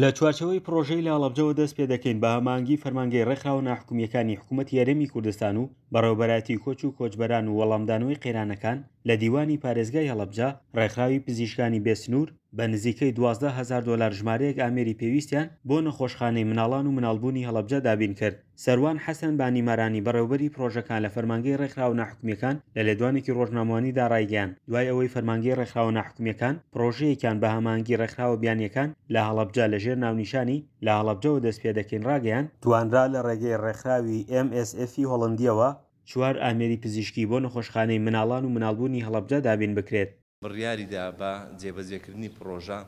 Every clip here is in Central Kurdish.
لە چوارچێوەی پڕۆژەی لە هەڵەبجەوە دەست پێ دەکەین بە هەماهەنگی فەرمانگەی ڕێکخراوە ناحکومییەکانی حکوومەتی هەرێمی کوردستان و بەڕێوەبەرایەتی کۆچ و کۆچبەران و وەڵامدانەوەی قەیرانەکان لە دیوانی پارێزگای هەڵەبجە، ڕێکخراوی پزیشکانی بێ سنوور بە نزیکەی 12 هەزار دۆلار ژمارەیەک ئامێری پێویستیان بۆ نەخۆشخانەی مناڵان و مناڵبوونی هەڵەبجە دابین کرد. سەروان حەسەن بانیمارانی بەڕێوەبەری پڕۆژەکان لە فەرمانگەی ڕێکخراوە ناحکومییەکان لە لێدوانێکی ڕۆژنامەوانیدا ڕایگەیاند، دوای ئەوەی فەرمانگەی ڕێکخراوە ناحکومییەکان پڕۆژەیەکیان بە هەماهەنگی ڕێکخراوە بیانییەکان لە هەڵەبجە لە ژێر ناونیشانی لە هەڵەبجەوە دەست پێدەکەین ڕاگەیاند، توانرا لە ڕێگەی ڕێکخراوی ئێم ئێس ئێفی هۆڵەندییەوە چوار ئامێری پزیشکی بۆ نەخۆشخانەی مناڵان و مناڵبوونی هەڵەبجە دابین بکرێت. بڕیاری دا بە جێبەجێکردنی پڕۆژە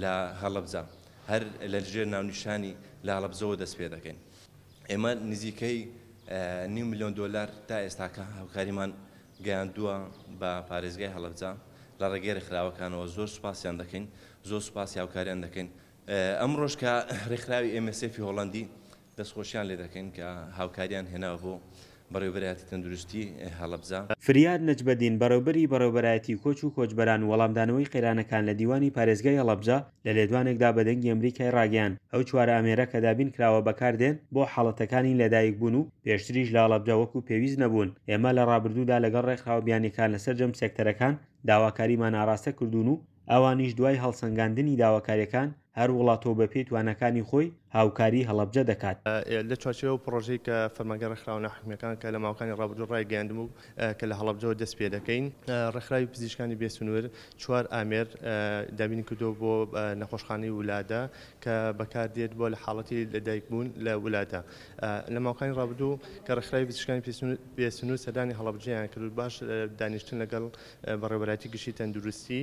لە هەڵەبجە هەر لە ژێر ناونیشانی لە هەڵەبجەوە دەست پێ دەکەین. ئێمە نزیکەی نیو ملیۆن دۆلار تا ئێستاکە هاوکاریمان گەیاندووە بە پارێزگای هەڵەبجە لە ڕێگەی ڕێکخراوەکانەوە، زۆر سوپاسیان دەکەین، زۆر سوپاسی هاوکاریان دەکەین. ئەمڕۆش کە ڕێکخراوی ئێم ئێس ئێفی هۆڵەندی دەستخۆشیان لێ دەکەین کە هاوکاریان هێناوە بۆ بەڕێوەبەرایەتی تەندروستی هەڵەبجە. فریاد نەجمەدین، بەڕێوبەری بەڕێوەبەرایەتی کۆچ و کۆچبەران و وەڵامدانەوەی قەیرانەکان لە دیوانی پارێزگای هەڵەبجە لە لێدوانێکدا بە دەنگی ئەمریکای ڕاگەیاند، ئەو چوار ئامێرە کە دابین کراوە بەکاردێن بۆ حاڵەتەکانی لەدایکبوون و پێشتریش لە هەڵەبجە وەکو پێویست نەبوون، ئێمە لە ڕابردوودا لەگەڵ ڕێکخراوە بیانیەکان لە سەرجەم سێکتەرەکان داواکاریمان ئاڕاستە کردوون و ئەوانیش دوای هەڵسەنگاندنی داواکاریەکان هەر وڵاتەو بەپێی تواناکانی خۆی هاوکاری هەڵەبجە دەکات. لە چوارچێوەی ئەو پڕۆژەی کە فەرمانگەی ڕێکخراوە ناحکومییەکان کە لە ماوەکانی ڕابردوو ڕایگەیاندبوو کە لە هەڵەبجەوە دەست پێ دەکەین، ڕێکخراوی پزیشکانی بێ سنوور چوار ئامێر دابین کردووە بۆ نەخۆشخانەی ولادە کە بەکاردێت بۆ لە حاڵەتی لەدایکبوون لە ولادە. لە ماوەکانی ڕابردوو کە ڕێکخراوی پزیشکانی بێ سنوور سەردانی هەڵەبجەیان کرد و باش دانیشتن لەگەڵ بەڕێوەبەرایەتی گشتی تەندروستی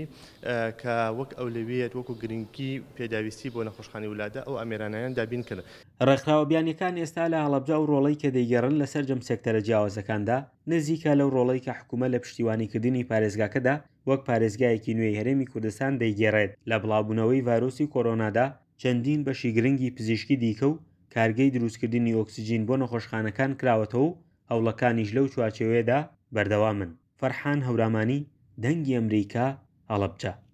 کە وەک ئەولەویەت وەکو گرنگی پێداویستی بۆ نەخۆشخانەی ولادە ئەو ئامێرانەیان دابین کرد. ڕێکخراوە بیانیەکان ئێستا لە هەڵەبجە ئەو ڕۆڵەی کە دەیگێڕن لە سەرجەم سێکتەرە جیاوازەکاندا نزیکە لەو ڕۆڵەی کە حکومەت لە پشتیوانیکردنی پارێزگاکەدا وەک پارێزگایەکی نوێی هەرێمی کوردستان دەیگێڕێت لە بڵاوبوونەوەی ڤایرۆسی کۆرۆنادا چەندین بەشی گرنگی پزیشکی دیکە و کارگەی دروستکردنی ئۆکسجین بۆ نەخۆشخانەکان کراوەتەوە و هەوڵەکانیش لەو چوارچێوەیەدا بەردەوامن. فەرحان هەورامانی، دەنگی ئەمریکا، هەڵەبجە.